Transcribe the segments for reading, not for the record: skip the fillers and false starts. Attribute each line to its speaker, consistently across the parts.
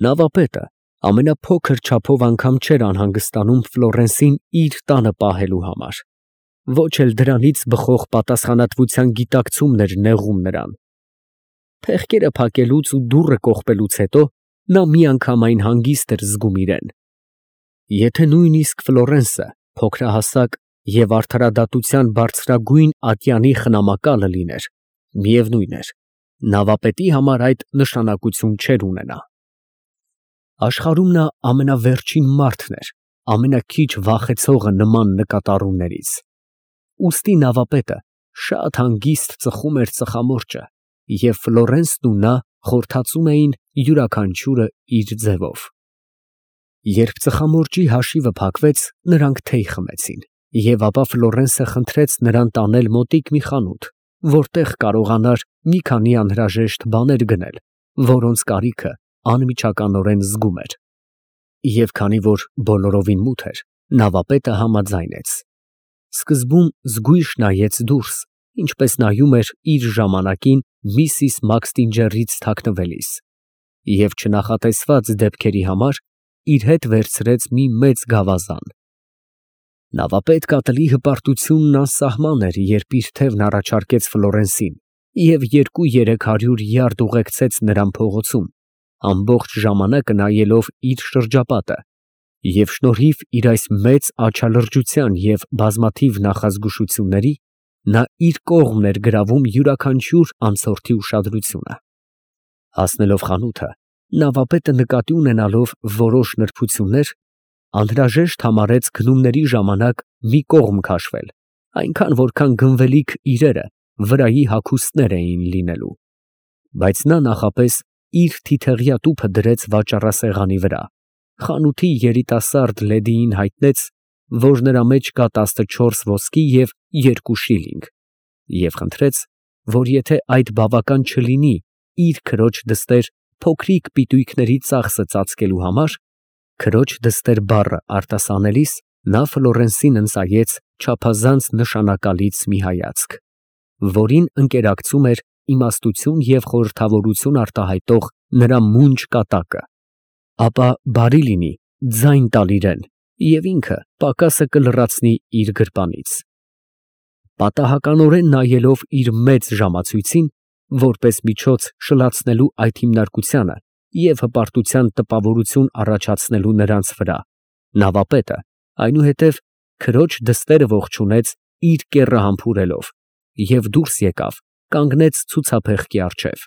Speaker 1: Նավապետը ամենափոքր չափով անգամ չէր անհանգստանում Ֆլորենսին իր տանը պահելու համար, ոչ էլ դրանից բխող պատասխանատվության գիտակցումն էր նեղում նրան։ Փեղկերը փակելուց ու դուռը կողպելուց հետո նա միանգամայն հանգիստ էր զգում իրեն։ Եթե նույնիսկ Ֆլորենսը փոքրահասակ և արդարադատության բարձրագույն ատյանի խնամակալը լիներ, միևնույն էր, նավապետի համար այդ նշանակություն չէր ունենա։ Աշխարհում նա ամենավերջին մարդն էր, ամենաքիչ վախեցողը նման նկատառումներից։ Ուստի նավապետը շատ հանգիստ ծխում էր ծխամորճը, և Ֆլորենսն ու նա խորթացում էին յուրաքանչյուրը իր ձևով։ Երբ ծխամորճի հաշիվը փակվեց, նրանք թեյ խմեցին, և ապա Ֆլորենսը խնդրեց նրան տանել մոտիկ մի խանութ, որտեղ կարողանար մի քանի անհրաժեշտ բաներ գնել, որոնց կարիքը անմիջականորեն զգում էր։ Եվ քանի որ բոլորովին մութ էր, նավապետը համաձայնեց։ Սկզբում զգույշ նայեց դուրս, ինչպես նայում էր իր ժամանակին Միսիս Մաքսթինջերից թաքնվելիս, և չնախատեսված դեպքերի համար իր հետ վերցրեց մի մեծ գավազան։ Նավապետք ատելի հպարտությունն անսահման էր, երբ իր թևն առաջարկեց Ֆլորենսին և 200-300 յարդ ուղեկցեց նրան փողոցում, ամբողջ ժամանակը նայելով իր շրջապատը, և շնորհիվ իր այս մեծ աչալրջության և բազմաթիվ նախազգուշությունների, նա իր կողմն էր գրավում յուրաքանչյուր անցորդի ուշադրությունը։ Հասնելով խանութը, նավապետը նկատի ունենալով որոշ նրբություններ, անհրաժեշտ համարեց գնումների ժամանակ մի կողմ քաշվել, այնքան որքան գնվելիք իրերը վրայի հագուստներ էին լինելու, բայց նա նախապես իր թիթեղյա տուփը դրեց վաճառասեղանի վրա, խանութի երիտասարդ լեդիին հայտնեց, որ նրա մեջ կա 14 ոսկի և 2 շիլինգ, և խնդրեց, որ եթե այդ բավական չլինի իր քրոջ դստեր փոքրիկ պիտույքների ծախսը ծածկելու համար, քրոջ դստեր բառը արտասանելիս նա Ֆլորենսին ընծայեց չափազանց նշանակալից մի հայացք, որին ընկերակցում էր իմաստություն և խորհրդավորություն արտահայտող նրա մունջ կատակը, ապա բարի լինի ձայն տալ իրան, և ինքը պակասը կլրացնի իր գրպանից։ Պատահականորեն նայելով իր մեծ ժամացույցին, որպես միջոց շլացնելու այդ հիմնարկությանը և հպարտության տպավորություն առաջացնելու նրանց վրա, նավապետը այնուհետև քրոջ դստերը ողջունեց իր կեռը համբուրելով և դուրս եկավ, կանգնեց ցուցափեղկի առջև։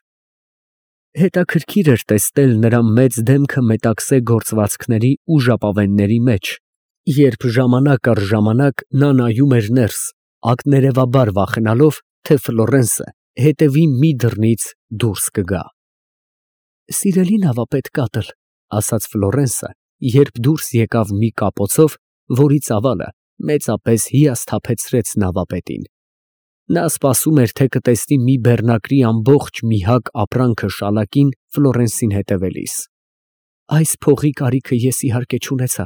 Speaker 1: Հետաքրքիր էր տեսնել նրա մեծ դեմքը մետաքսե գործվածքների ու ժապավենների մեջ, երբ ժամանակ առ ժամանակ նա նայում էր ներս, ակներևաբար վախենալով, թե Ֆլորենսը հետևի մի դռնից դուրս կգա։ «Սիրելի նավապետ կատլ», ֊ ասաց Ֆլորենսը, երբ դուրս եկավ մի կապոցով, որի ծավալը մեծապես հիասթափեցրեց նավապետին։ Նա սպասում էր, թե կտեսնի մի բեռնակրի ամբողջ մի հակ ապրանքը շալակին Ֆլորենսին հետևելիս։ «Այս փողի կարիքը ես իհարկե չունեցա,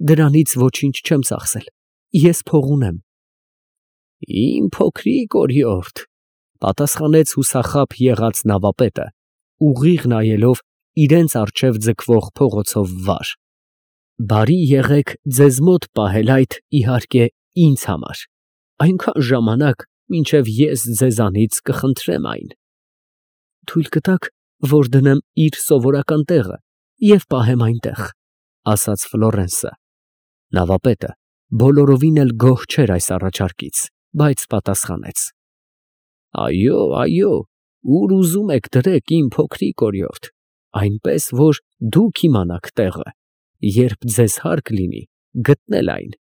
Speaker 1: դրանից ոչինչ չեմ ծախսել, ես փող ունեմ»։ «Իմ փոքրիկ օրիորդ», ֊ պատասխանեց հուսախաբ եղած նավապետը, ուղիղ նայելով իրենց առջև ձգվող փողոցով վար։ «Բարի եղեք ձեզ մոտ պահել այդ, իհարկե, ինձ համար, այնքան ժամանակ, մինչև ես ձեզանից կխնդրեմ այն»։ «Թույլ կտաք, որ դնեմ իր սովորական տեղը և պահեմ այնտեղ», ֊ ասաց Ֆլորենսը։ Նավապետը բոլորովին էլ գոհ չէր այս առաջարկից, բայց պատասխանեց. «Այո, այո, ուր ուզում եք դրեք, իմ փոքրիկ օրիորդ, այնպես որ դուք իմանաք տեղը, երբ ձեզ հարկ լինի գտնել այն,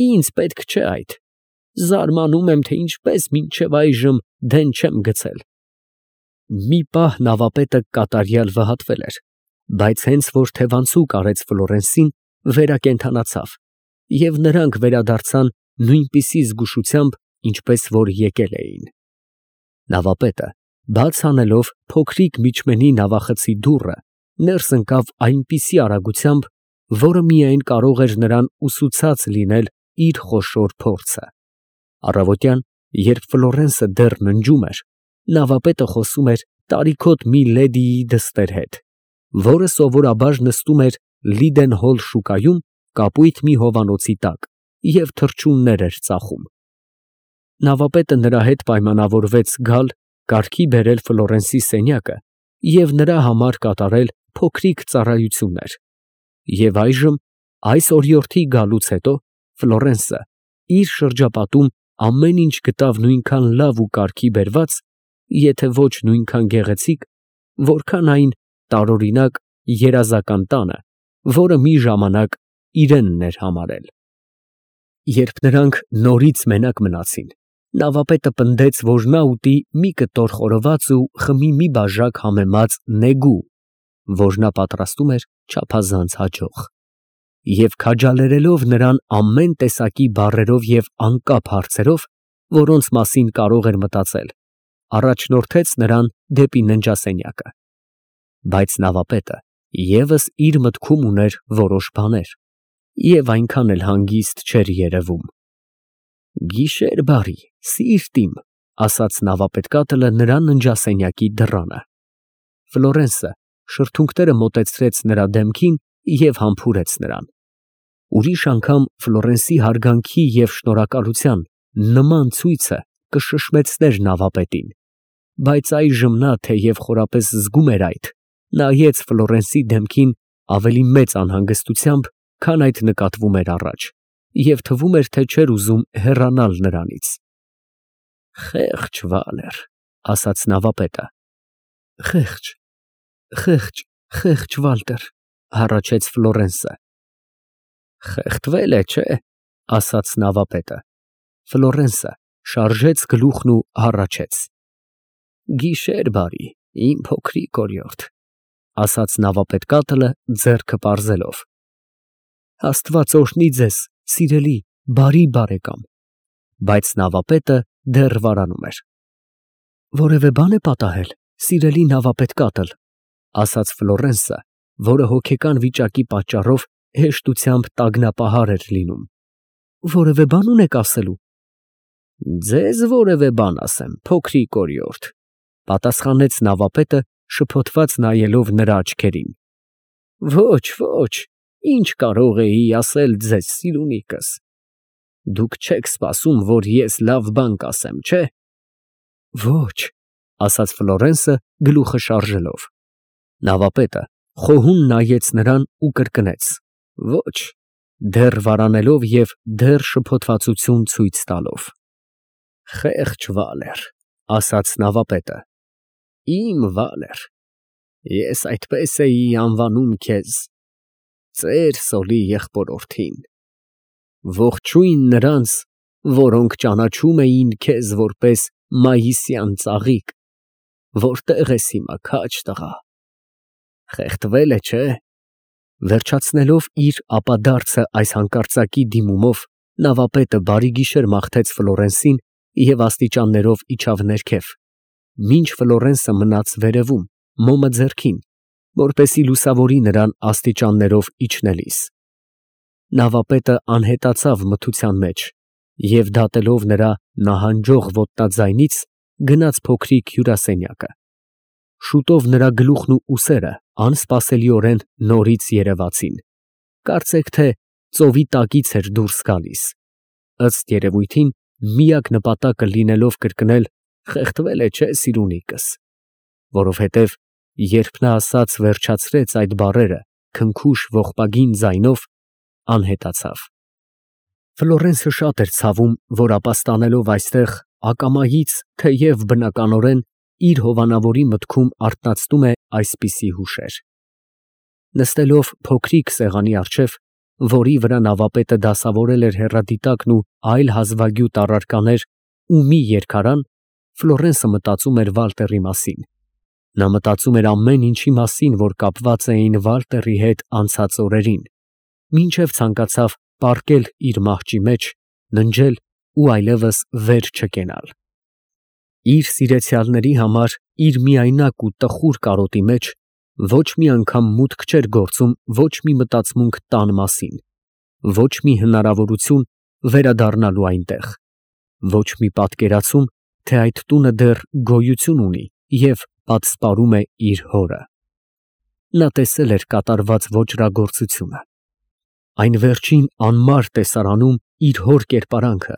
Speaker 1: ինձ պետք չէ այդ, զարմանում եմ, թե ինչպես մինչև այժմ դեն չեմ գցել»։ Մի պահ նավապետը կատարյալ վհատվել էր, բայց հենց որ թևանցուկ արեց Ֆլորենսին, վերակենդանացավ, և նրանք վերադարձան նույնպիսի զգուշությամբ, ինչպես որ եկել էին։ Նավապետը, բաց անելով փոքրիկ միջմենի նավախցի դուռը, ներս ընկավ այնպիսի արագությամբ, որը միայն կարող էր նրան ուսուցած լինել իր խոշոր փորձը։ Առավոտյան, երբ Ֆլորենսը դեռ ննջում էր, նավապետը խոսում էր տարիքոտ մի լեդիի դստեր հետ, որը սովորաբար նստում էր Լիդենհոլ շուկայում կապույտ մի հովանոցի տակ և թռչուններ էր ծախում։ Նավապետը նրա հետ պայմանավորվեց գալ, կարգի բերել Ֆլորենսի սենյակը և նրա համար կատարել փոքրիկ ծառայություններ, և այժմ, այս օրիորդի գալուց հետո, Ֆլորենսը իր շրջապատում ամեն ինչ գտավ նույնքան լավ ու կարգի բերված, եթե ոչ նույնքան գեղեցիկ, որքան այն տարօրինակ երազական տանը, որը մի ժամանակ իրենն էր համարել։ Երբ նրանք նորից մենակ մնացին, նավապետը պնդեց, որ նա ուտի մի կտոր խորոված ու խմի մի բաժակ համեմած նեգու, որ նա պատրաստում էր չափազանց հաջող, և քաջալերելով նրան ամեն տեսակի բառերով և անկապ հարցերով, որոնց մասին կարող էր մտածել, առաջնորդեց նրան դեպի ննջասենյակը։ Բայց նավապետը ևս իր մտքում ուներ որոշ բաներ և այնքան էլ հանգիստ չէր երևում։ «Գիշեր բարի, սիրտ իմ», ասաց նավապետկատլը նրա ննջասենյակի դռանը։ Ֆլորենսը շրթունքները մոտեցրեց նրա դեմքին և համբուրեց նրան։ Ուրիշ անգամ Ֆլորենսի հարգանքի և շնորհակալության նման ցույցը կշշմեցներ նավապետին, բայց այժմ նա, թեև խորապես զգում էր այդ, նայեց Ֆլորենսի դեմքին ավելի մեծ անհանգստությամբ, քան այդ նկատվում էր առաջ, և թվում էր, թե չէր ուզում հեռանալ նրանից։ «Խեղճ Վալեր», ասաց նավապետը։ «Խեղճ Վալտեր», հառաչեց Ֆլորենսը։ «Խեղդվել է, չէ՞, ասաց նավապետը։ Ֆլորենսը շարժեց գլուխն ու հառաչեց։ «Գիշեր բարի, իմ փոքրիկ օրիորդ», ասաց նավապետկատլը ձեռքը պարզելով։ «Աստված օրհնի ձեզ, սիրելի, բարի բարեկամ», բայց նավապետը դեռ վարանում էր։ «Որևէ բան է պատահել, սիրելի նավապետկատլ», ասաց Ֆլորենսը, որը հոգեկան վիճակի պատճառով հեշտությամբ տագնապահար էր լինում։ «Որևէ բան ունեք ասելու»։ «Ձեզ որևէ բան ասեմ, փոքրիկ օրիորդ», պատասխանեց նավապետը, շփոթված նայելով նրա աչքերին։ «Ոչ, ինչ կարող էի ասել ձեզ, սիրունիկս։ Դուք չեք սպասում, որ ես լավ բան կասեմ, չէ՞։ Ոչ, ասաց Ֆլորենսը գլուխը շարժելով։ Նավապետը խոհուն նայեց նրան ու կրկնեց. Ոչ, դեռ վարանելով և դեռ շփոթվածություն ցույց տալով։ Խեղճ Վալեր, ասաց նավապետը, իմ Վալեր, ես այդպես էի անվանում քեզ, ծեր Սոլի եղբորորդին։ Ողջույն նրանց, որոնք ճանաչում էին քեզ որպես մայիսյան ծաղիկ, որտեղ ես հիմա, քաջ տղա։ Խեղդվել է, չէ՞։ Վերջացնելով իր ապադարձը այս հանկարծակի դիմումով, նավապետը բարի գիշեր մաղթեց Ֆլորենսին և աստիճաններով իջավ ներքև, մինչ Ֆլորենսը մնաց վերևում, մոմը ձեռքին, որպեսզի լուսավորի նրան աստիճաններով իջնելիս։ Նավապետը անհետացավ մթության մեջ և դատելով նրա նահանջող ոտնաձայնից, գնաց փոքրիկ հյուրասենյակը։ Շուտով նրա գլուխն ու ուսերը անսպասելիորեն նորից երևացին, կարծեք թե ծովի տակից էր դուրս գալիս, ըստ երևույթին միակ նպատակը լինելով կրկնել «խեղդվել է, չէ՞, սիրունիկս», որովհետև երբ նա ասաց վերջացրեց այդ բառերը քնքուշ ողբագին ձայնով, անհետացավ։ Ֆլորենսը շատ էր ցավում, որ ապաստանելով այստեղ ակամայից, թեև բնականորեն իր հովանավորի մտքում արթնացնում է այսպիսի հուշեր։ Նստելով փոքրիկ սեղանի առջև, որի վրա նավապետը դասավորել էր հեռադիտակն ու այլ հազվագյուտ առարկաներ ու մի երգարան, Ֆլորենսը մտածում էր Վալտերի մասին։ Նա մտածում էր ամեն ինչի մասին, որ կապված էին Վալտերի հետ անցած օրերին, մինչև ցանկացավ պառկել իր մահճի մեջ, ննջել ու այլևս վեր չկենալ։ Իր սիրեցյալների համար իր միայնակ ու տխուր կարոտի մեջ ոչ մի անգամ մուտք չէր գործում ոչ մի մտածմունք տան մասին, ոչ մի հնարավորություն վերադառնալու այնտեղ, ոչ մի պատկերացում, թե այդ տունը դեռ գոյություն ունի և պատսպարում է իր հորը։ նա տեսել էր կատարված ոճրագործությունը։ Այն վերջին անմար տեսարանում իր հոր կերպարանքը,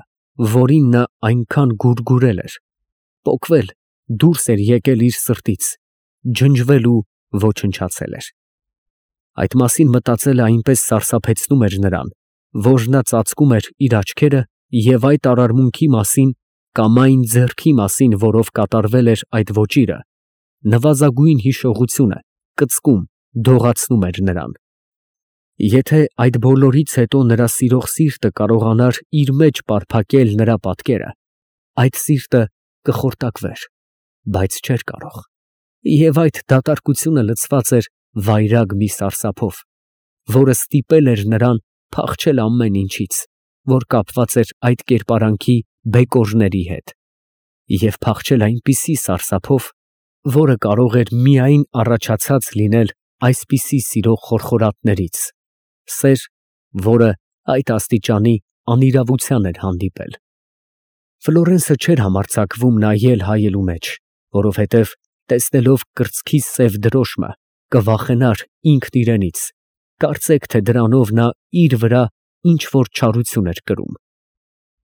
Speaker 1: որին նա այնքան գուրգուրել էր, պոկվել, դուրս էր եկել իր սրտից, ջնջվել ու ոչնչացել էր։ Այդ մասին մտածելը այնպես սարսափեցնում էր նրան, որ նա ծածկում էր իր աչքերը և այդ արարմունքի մասին կամ այն ձեռքի մասին, որով կատարվել էր այդ ոճիրը, նվազագույն հիշողությունը կծկում, դողացնում էր նրան։ Եթե այդ բոլորից հետո նրա սիրող սիրտը կարողանար իր մեջ պարփակել նրա պատկերը, այդ սիրտը կխորտակվեր, բայց չէր կարող, և այդ դատարկությունը լցված էր վայրագ մի սարսափով, որը ստիպել էր նրան փախչել ամեն ինչից, որ կապված էր այդ կերպարանքի բեկորների հետ, և փախչել այնպիսի սարսափով, որը կարող էր միայն առաջացած լինել այսպիսի սիրո խորխորատներից, սեր, որը այդ աստիճանի անիրավության էր հանդիպել։ Ֆլորենսը չէր համարձակվում նայել հայելու մեջ, որովհետև տեսնելով կրծքի սև դրոշմը, կվախենար ինքն իրենից, կարծեք թե դրանով նա իր վրա ինչ֊որ չարություն էր կրում։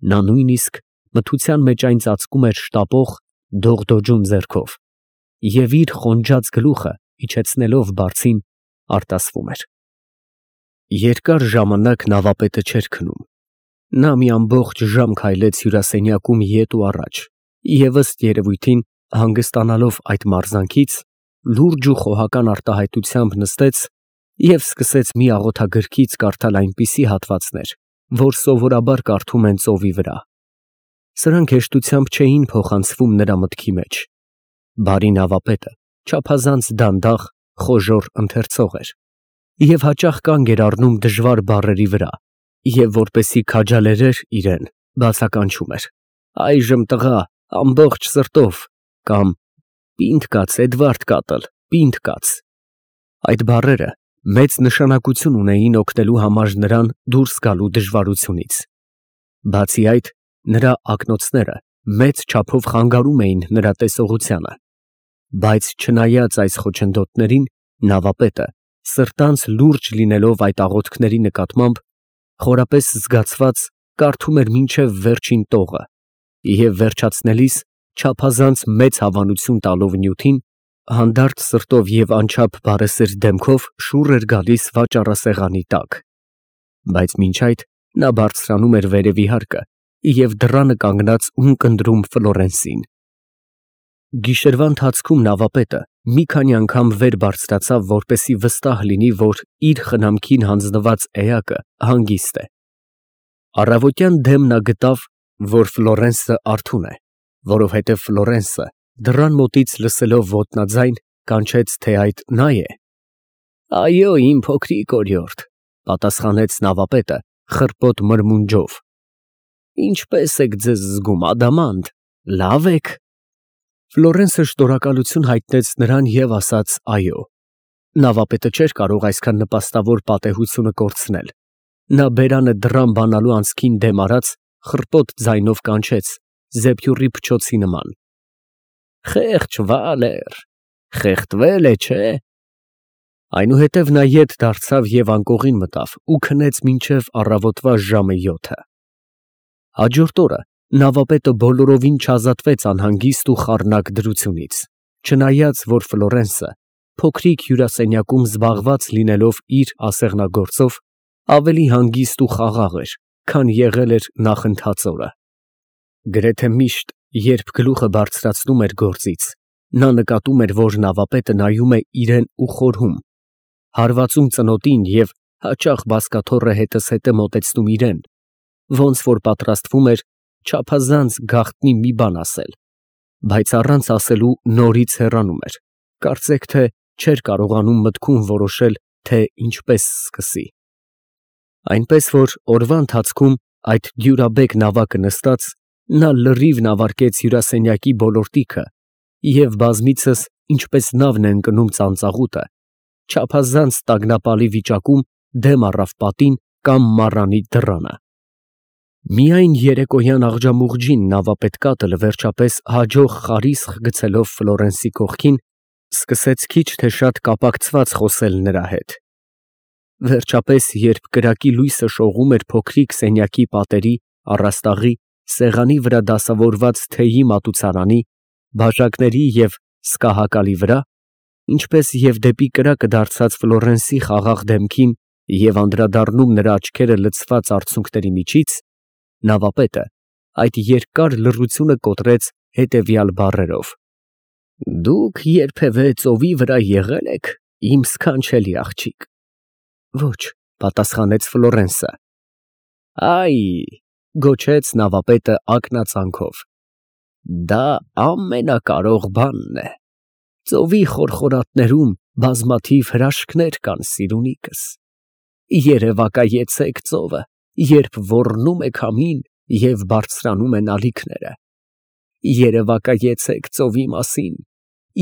Speaker 1: Նա նույնիսկ մթության մեջ այն ծածկում էր շտապող, դողդոջուն ձեռքով և իր խոնջած գլուխը իջեցնելով բարձին, արտասվում էր։ Երկար ժամանակ նավապետը չէր քնում։ Նա մի ամբողջ ժամ քայլեց հյուրասենյակում ետ ու առաջ և ըստ երևույթին, հանգստանալով այդ մարզանքից, լուրջ ու խոհական արտահայտությամբ նստեց և սկսեց մի աղոթագրքից կարդալ այնպիսի հատվածներ, որ սովորաբար կարդում են ծովի վրա։ Սրանք հեշտությամբ չէին փոխանցվում նրա մտքի մեջ։ Բարի նավապետը չափազանց դանդաղ, խոժոռ ընթերցող էր և հաճախ կանգ էր առնում դժվար բառերի վրա և որպեսզի քաջալերեր իրեն, բացականչում էր. «Այժմ տղա, ամբողջ սրտով» կամ «Պինդ կաց, Էդվարդ կատլ, պինդ կաց»։ Այդ բառերը մեծ նշանակություն ունեին օգնելու համար նրան դուրս գալու դժվարությունից։ Բացի այդ, նրա ակնոցները մեծ չափով խանգարում էին նրա տեսողությանը։ Բայց չնայած այս խոչընդոտներին, նավապետը, սրտանց լուրջ լինելով այդ աղոթքների նկատմամբ, խորապես զգացված կարդում էր մինչև վերջին տողը և վերջացնելիս, չափազանց մեծ հավանություն տալով նյութին, հանդարտ սրտով և անչափ բարեսր դեմքով շուռ էր գալիս վաճառասեղանի տակ։ Բայց մինչ այդ նա բարձրանում էր վերևի հարկը և դռանը կանգնած ունկնդրում Ֆլորենսին։ Գիշերվա ընթացքում նավապետը մի քանի անգամ վեր բարձրացավ, որպեսզի վստահ լինի, որ իր խնամքին հանձնված էակը հանգիստ է։ Առավոտյան դեմ նա գտավ, որ Ֆլորենսը արթուն է, որովհետև Ֆլորենսը դռան մոտից լսելով ոտնաձայն, կանչեց, թե այդ նա է։ «Այո, իմ փոքրիկ օրիորդ», ֊ պատասխանեց նավապետը խռպոտ մրմունջով։ «Ինչպե՞ս եք ձեզ զգում, ադամանդ, լավ ե՞ք»։ Ֆլորենսը շնորհակալություն հայտնեց նրան և ասաց «այո»։ Նավապետը չէր կարող այսքան նպաստավոր պատեհությունը կորցնել։ Նա բերանը դռան բանալու անցքին դեմ արած, խռպոտ ձայնով կանչեց զեփյուռի փչոցի նման. «Խեղճ Վալեր, խեղդվել է, չէ՞»։ Այնուհետև նա ետ դարձավ և անկողին մտավ ու քնեց մինչև առավոտվա ժամը 7-ը։ Հաջորդ օրը նավապետը բոլորովին չազատվեց անհանգիստ ու խառնակ դրությունից, չնայած որ Ֆլորենսը, փոքրիկ հյուրասենյակում զբաղված լինելով իր ասեղնագործով, ավելի հանգիստ ու խաղաղ էր, քան եղել էր նախընթաց օրը։ Գրեթե միշտ, երբ գլուխը բարձրացնում էր գործից, նա նկատում էր, որ նավապետը նայում է իրեն ու խորհում, հարվածում ծնոտին և հաճախ բազկաթոռը հետզհետե մոտեցնում իրեն, ոնց որ պատրաստվում էր չափազանց գաղտնի մի բան ասել, բայց առանց ասելու նորից հեռանում էր, կարծեք թե չէր կարողանում մտքում որոշել, թե ինչպես սկսի։ Այնպես որ օրվա ընթացքում այդ դյուրաբեկ նավակը նստած, նա լրիվ նավարկեց հյուրասենյակի բոլոր տիքը և բազմիցս, ինչպես նավն է ընկնում ծանծաղուտը, չափազանց տագնապալի վիճակում դեմ առավ պատին կամ մառանի դռանը։ Միայն երեկոյան աղջամուղջին նավապետ կատլը վերջապես հաջող խարիսխ գցելով Ֆլորենսի կողքին, սկսեց քիչ թե շատ կապակցված խոսել նրա հետ։ Վերջապես, երբ կրակի լույսը շողում էր փոքրիկ սենյակի պատերի, առաստաղի, սեղանի վրա դասավորված թեյի մատուցարանի, բաժակների և սկահակալի վրա, ինչպես և դեպի կրակը դարձած Ֆլորենսի խաղաղ դեմքին և անդրադառնում նրա աչքերը լցված արցունքների միջից, նավապետը այդ երկար լռությունը կոտրեց հետևյալ բառերով. «Դուք երբևէ ծովի վրա եղե՞լ եք, իմ սքանչելի աղջիկ»։ «Ոչ», պատասխանեց Ֆլորենսը։ «Այ», գոչեց նավապետը ակնածանքով, «դա ամենակարող բանն է։ Ծովի խորխորատներում բազմաթիվ հրաշքներ կան, սիրունիկս։ Երևակայեցեք ծովը, երբ ոռնում է քամին և բարձրանում են ալիքները։ Երևակայեցեք ծովի մասին,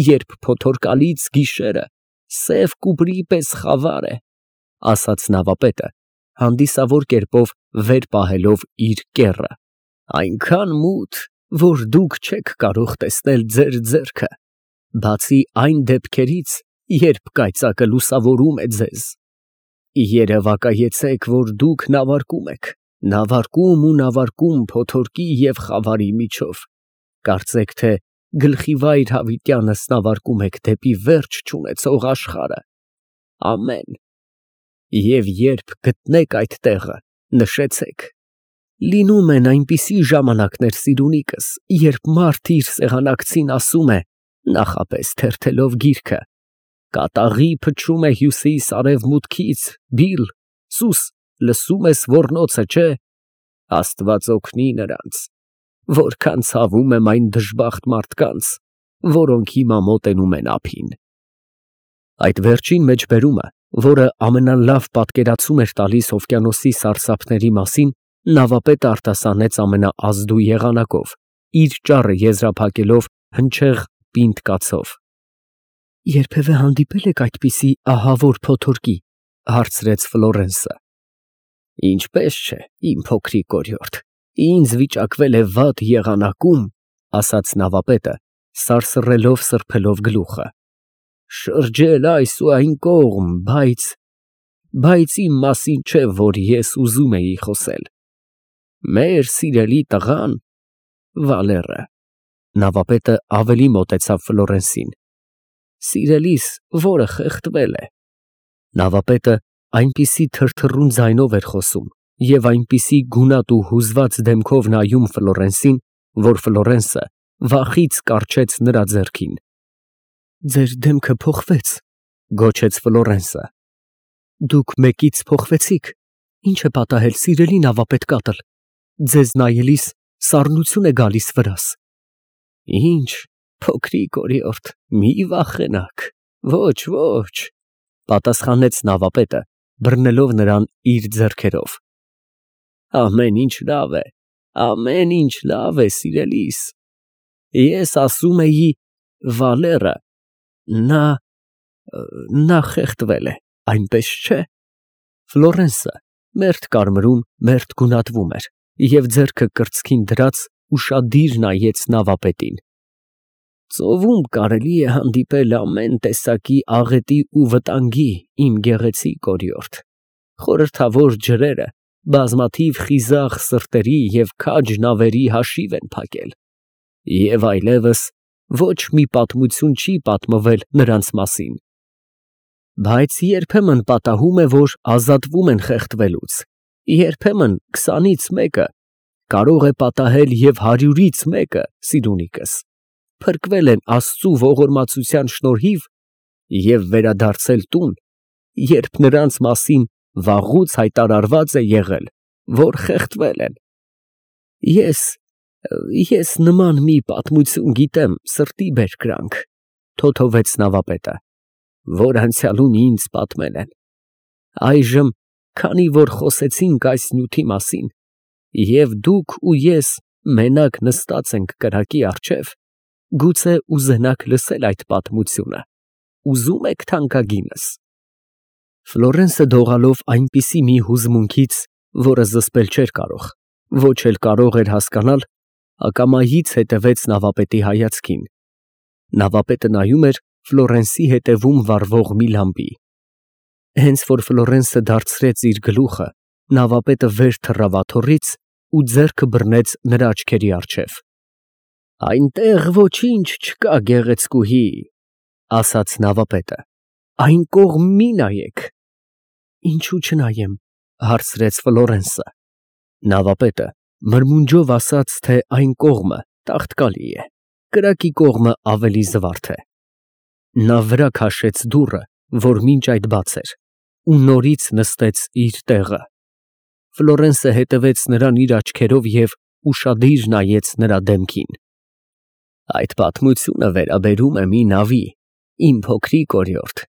Speaker 1: երբ փոթորկալից գիշերը սև կուպրի պես խավար է, ասաց նավապետը, հանդիսավոր կերպով վեր պահելով իր կեռը, այնքան մութ, որ դուք չեք կարող տեսնել ձեր ձեռքը, բացի այն դեպքերից, երբ կայծակը լուսավորում է ձեզ։ Երևակայեցեք, որ դուք նավարկում եք, նավարկում փոթորկի և խավարի միջով, կարծեք թե գլխիվայր հավիտյանս նավարկում եք դեպի վերջ չունեցող աշխարհը։ Ամեն։ Եվ երբ գտնեք այդ տեղը, նշեցեք։ Լինում են այնպիսի ժամանակներ, սիրունիկս, երբ մարդ իր սեղանակցին ասում է, նախապես թերթելով գիրքը. «Կատաղի փչում է հյուսիս֊արևմուտքից, Բիլ, սուս, լսում ես ոռնոցը, չէ՞։ Աստված օգնի նրանց, որքան ցավում եմ այն դժբախտ մարդկանց, որոնք հիմա մոտենում են ափին»։ Այդ վերջին մեջբերումը, որը ամենալավ պատկերացում էր տալիս օվկիանոսի սարսափների մասին, նավապետը արտասանեց ամենաազդու եղանակով, իր ճառը եզրափակելով հնչեղ պինդ կացով։ «Երբևէ հանդիպե՞լ եք այդպիսի ահավոր փոթորկի», հարցրեց Ֆլորենսը։ «Ինչպես չէ, իմ փոքրիկ օրիորդ, ինձ վիճակվել է վատ եղանակում», ասաց նավապետը, սարսռելով սրբելով գլուխը, «շրջել այս ու այն կողմ, բայց իմ մասին չէ, որ ես ուզում էի խոսել։ Մեր սիրելի տղան, Վալերը», նավապետը ավելի մոտեցավ Ֆլորենսին, «սիրելիս, որը խեղդվել է»։ Նավապետը այնպիսի թրթռուն ձայնով էր խոսում և այնպիսի գունատ ու հուզված դեմքով նայում Ֆլորենսին, որ Ֆլորենսը վախից կառչեց նրա ձեռքին։ «Ձեր դեմքը փոխվեց», գոչեց Ֆլորենսը։ «Դուք մեկից փոխվեցիք։ Ինչ է պատահել, սիրելի նավապետ կատլ։ Ձեզ նայելիս սառնություն է գալիս վրաս»։ «Ինչ, փոքրիկ օրիորդ, մի վախենաք, ոչ, պատասխանեց նավապետը, բռնելով նրան իր ձեռքերով։ Ամեն ինչ լավ է, սիրելիս։ Ես ասում էի, Վալերը, նա խեղդվել է, այնպես չէ՞։ Ֆլորենսը մերթ կարմրում, մերթ գունատվում էր և ձեռքը կրծքին դրած ուշադիր նայեց նավապետին։ Ծովում կարելի է հանդիպել ամեն տեսակի աղետի ու վտանգի, իմ գեղեցիկ օրիորդ։ Խորհրդավոր ջրերը բազմաթիվ խիզախ սրտերի և քաջ նավերի հաշիվ են փակել, և այլևս ոչ մի պատմություն չի պատմվել նրանց մասին։ Բայց երբեմն պատահում է, որ ազատվում են խեղդվելուց, երբեմն 20-ից մեկը, կարող է պատահել և 100-ից մեկը, սիրունիկս, փրկվել են Աստծու ողորմածության շնորհիվ և վերադարձել տուն, երբ նրանց մասին վաղուց հայտարարված է եղել, որ խեղդվել են։ Ես նման մի պատմություն գիտեմ, սրտի բերկրանք, թոթովեց նավապետը, որ անցյալում ինձ պատմել են։ Այժմ, քանի որ խոսեցինք այս նյութի մասին, և դուք ու ես մենակ նստած ենք կրակի առջև, գուցե ուզենաք լսել այդ պատմությունը, ուզո՞ւմ եք թանկագինս։ Ֆլորենսը դողալով այնպիսի մի հուզմունքից, որը զսպել չէր կարող, ոչ էլ կարող էր հասկանալ, ակամայից հետևեց նավապետի հայացքին։ Նավապետը նայում էր Ֆլորենսի հետևում վառվող մի լամպի։ Հենց որ Ֆլորենսը դարձրեց իր գլուխը, նավապետը վեր թռավ աթոռից ու ձեռքը բռնեց նրա աչքերի առջև։ Այնտեղ ոչինչ չկա, գեղեցկուհի, ասաց նավապետը, այն կողմ մի նայեք։ Ինչու չնայեմ, հարցրեց Ֆլորենսը։ Նավապետը մրմունջով ասաց, թե այն կողմը տաղտկալի է, կրակի կողմը ավելի զվարթ է։ Նա վրա քաշեց դուռը, որ մինչ այդ բաց էր, ու նորից նստեց իր տեղը։ Ֆլորենսը հետևեց նրան իր աչքերով և ուշադիր նայեց նրա դեմքին։ Այդ պատմությունը վերաբերում է մի նավի, իմ փոքրիկ օրիորդ,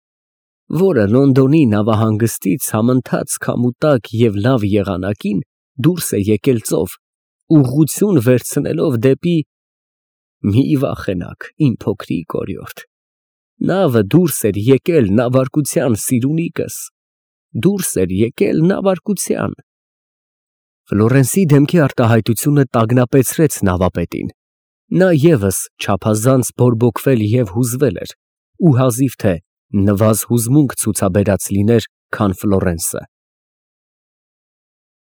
Speaker 1: որը Լոնդոնի նավահանգստից համընթաց քամուտակ և լավ եղանակին դուրս է եկել ծով, ուղղություն վերցնելով դեպի… Մի վախենաք, իմ փոքրիկ օրիորդ, նավը դուրս էր եկել նավարկության, սիրունիկս, դուրս էր եկել նավարկության։ Ֆլորենսի դեմքի արտահայտությունը տագնապեցրեց նավապետին։ Նա ևս չափազանց բորբոքվել և հուզվել էր ու հազիվ թե նվազ հուզմունք ցուցաբերած լիներ, քան Ֆլորենսը։